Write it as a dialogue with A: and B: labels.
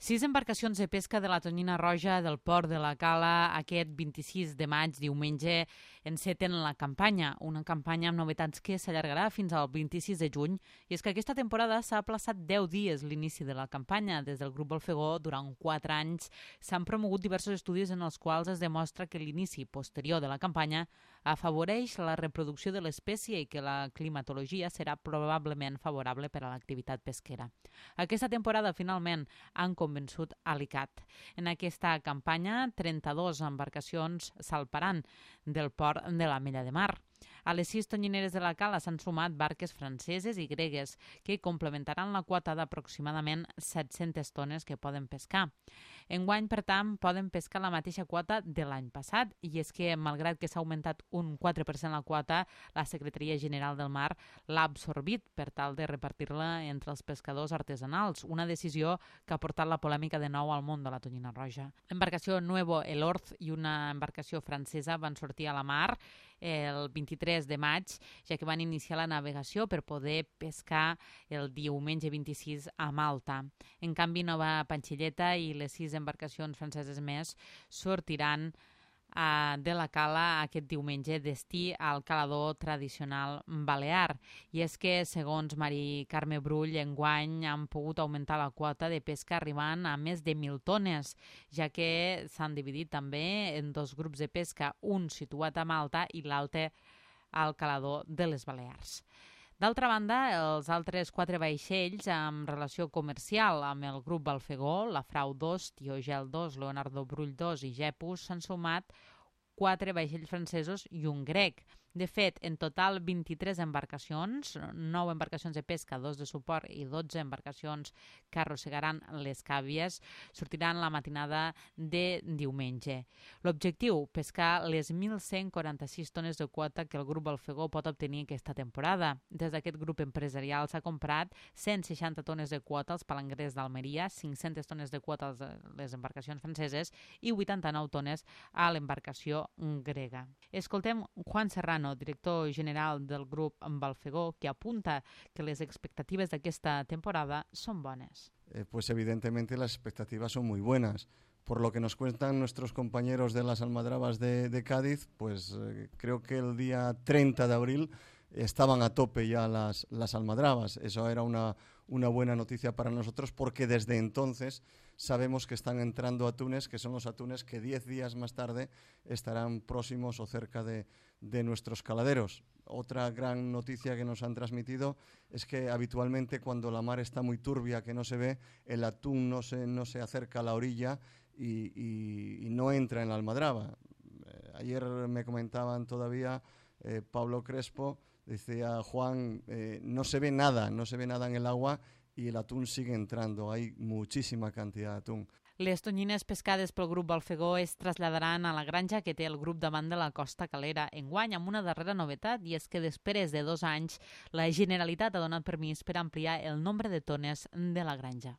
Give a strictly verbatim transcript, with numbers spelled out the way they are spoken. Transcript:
A: Sis embarcacions de pesca de la tonyina roja del port de la Cala aquest vint-i-sis de maig, diumenge, enceten la campanya, una campanya amb novetats que s'allargarà fins al vint-i-sis de juny, i és que aquesta temporada s'ha aplaçat deu dies l'inici de la campanya. Des del grup Balfegó, durant quatre anys, s'han promogut diversos estudis en els quals es demostra que l'inici posterior de la campanya afavoreix la reproducció de l'espècie i que la climatologia serà probablement favorable per a l'activitat pesquera. Aquesta temporada, finalment, han convençut a l'I C A T. En aquesta campanya, trenta-dues embarcacions salparan del port de l'Ametlla de Mar. A les sis tonyineres de la Cala s'han sumat barques franceses i gregues que complementaran la quota d'aproximadament set-centes tones que poden pescar. Enguany, per tant, poden pescar la mateixa quota de l'any passat, i és que, malgrat que s'ha augmentat un quatre per cent la quota, la Secretaria General del Mar l'ha absorbit per tal de repartir-la entre els pescadors artesanals, una decisió que ha portat la polèmica de nou al món de la tonyina roja. L'embarcació Nuevo El Orz i una embarcació francesa van sortir a la mar el vint-i-tres de maig, ja que van iniciar la navegació per poder pescar el diumenge vint-i-sis a Malta. En canvi, Nova Panxilleta i les sis embarcacions franceses més sortiran Uh, de la Cala aquest diumenge, destí al calador tradicional balear. I és que, segons Mari Carme Brull, enguany han pogut augmentar la quota de pesca arribant a més de mil tones, ja que s'han dividit també en dos grups de pesca, un situat a Malta i l'altre al calador de les Balears. D'altra banda, els altres quatre vaixells amb relació comercial amb el grup Balfegó, la Frau dos, Tiogel dos, Leonardo Brull dos i Gepus, s'han sumat quatre vaixells francesos i un grec. De fet, en total vint-i-tres embarcacions, nou embarcacions de pesca, dos de suport i dotze embarcacions que arrossegaran les càbies, sortiran la matinada de diumenge. L'objectiu, pescar les mil cent quaranta-sis tones de quota que el grup Balfegó pot obtenir aquesta temporada. Des d'aquest grup empresarial s'ha comprat cent seixanta tones de quota als palangrers d'Almeria, cinc-centes tones de quota a les embarcacions franceses i vuitanta-nou tones a l'embarcació grega. Escoltem Juan Serrano, director general del grup Balfegó, que apunta que les expectatives d'aquesta temporada son buenas.
B: Eh, pues evidentemente las expectativas son muy buenas. Por lo que nos cuentan nuestros compañeros de las almadrabas de, de Cádiz, pues eh, creo que el día treinta de abril estaban a tope ya las, las almadrabas. Eso era una, una buena noticia para nosotros, porque desde entonces sabemos que están entrando atunes, que son los atunes que diez días más tarde estarán próximos o cerca de, de nuestros caladeros. Otra gran noticia que nos han transmitido es que habitualmente cuando la mar está muy turbia, que no se ve, el atún no se, no se acerca a la orilla y, y, y no entra en la almadraba. Eh, ayer me comentaban todavía eh, Pablo Crespo, decía Juan, eh, no se ve nada, no se ve nada en el agua y el atún sigue entrando, hay muchísima cantidad de atún.
A: Les tonyines pescades pel grup Balfegó es traslladaran a la granja que té el grup davant de la Costa Calera, enguany amb una darrera novetat, i és que després de dos anys la Generalitat ha donat permís per ampliar el nombre de tones de la granja.